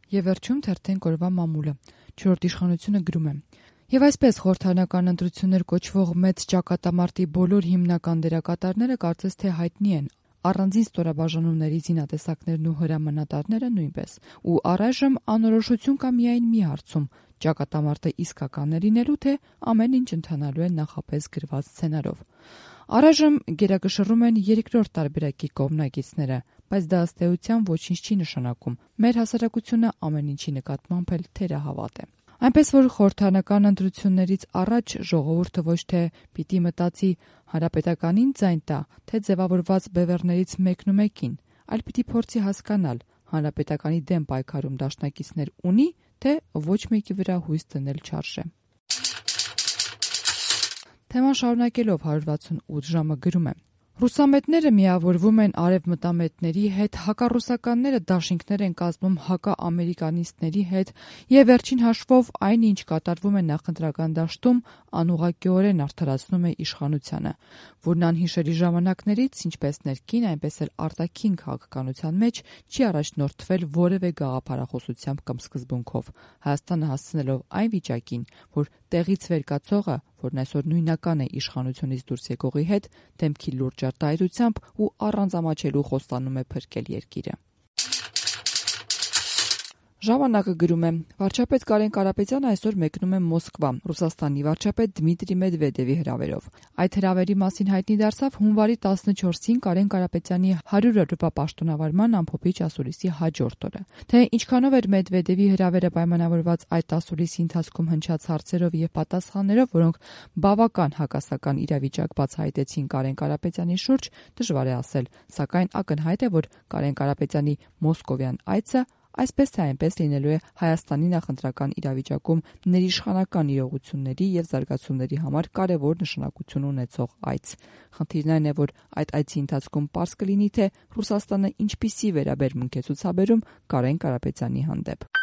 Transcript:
Եվ վերջում թերթենք օրվա մամուլը։ Չորրորդ իշխանությունը գրում է. Եվ այսպես խորհրդարանական ընտրություններ կոչվող մեծ ճակատամարտի բոլոր հիմնական դերակատարները կարծես թե հայտնի են, առանձին ստորաբաժանումների զինատեսակներն ու հրամանատարները նույնպես։ Ու առայժմ անորոշություն կա միայն մի հարցում՝ ճակատամարտը իսկական է լինելու, թե ամեն ինչ ընթանալու է նախապես գրված սցենարով։ Առայժմ գերակշռում են երկրորդ տարբերակի կողմնակիցները, բայց դա ըստ էության ոչինչ չի նշանակում։ Մեր հասարակությունը ամեն ինչի նկատմամբ էլ թերահավատ է։ Այնպես որ խորհրդարանական ընտրություններից առաջ ժողովուրդը ոչ թե պիտի մտածի հանրապետականին ձայն տա, թե ձևավորված բևեռներից մեկն ու մեկին, այլ պիտի փորձի հասկանալ հանրապետականի դեմ պայքարում դաշնակիցներ ունի, թե ոչ մեկի վրա հույս դնել չարժե։ Թեման շարունակելով 168 ժամը գրում է. Ռուսամետները միավորվում են արևմտամետների հետ, հակառուսականները դաշինքներ են կազմում հակաամերիկանիստների հետ և վերջին հաշվով այն, ինչ կատարվում է նախընտրական դաշտում, անուղղակիորեն արդարացնում է իշխանությանը, որն անհիշելի ժամանակներից, ինչպես ներքին, այնպես էլ արտաքին քաղաքականության մեջ չի առաջնորդվել որևէ գաղափարախոսությամբ կամ սկզբունքով, Հայաստանը հասցնելով այն վիճակին, որ տեղից վեր կացողը, որն այսօր նույնական է իշխանությունից դուրս եկողի հետ, դեմքի լուրջ արտահայտությամբ ու առանց ամաչելու խոստանում է փրկել երկիրը։ Ժամանակը գրում է. վարչապետ Կարեն Կարապետյանը այսօր մեկնում է Մոսկվա, Ռուսաստանի վարչապետ Դմիտրի Մեդվեդևի հրավերով։ Այդ հրավերի մասին հայտնի դարձավ հունվարի 14-ին Կարեն Կարապետյանի 100-րդ պաշտոնավարման ամփոփիչ ասուլիսի հաջորդ օրը։ Թե ինչքանով էր Մեդվեդևի հրավերը պայմանավորված այդ ասուլիսի ընթացքում հնչած հարցերով եւ պատասխաններով, որոնք բավական հակասական իրավիճակ բացահայտեցին Կարեն Կարապետյանի շուրջ, դժվար է ասել, սակայն ակնհայտ է, որ Կարեն Կարապետյանի մոսկովյան այցը այսպես թե այնպես լինելու է Հայաստանի նախընտրական իրավիճակում ներիշխանական իրողությունների եւ զարգացումների համար կարևոր նշանակություն ունեցող այց։ Խնդիրն այն է, որ այդ այցի ընթացքում պարզ կլինի, թե Ռուսաստանը ինչպիսի վերաբերմունք է ցուցաբերում Կարեն Կարապետյանի հանդեպ։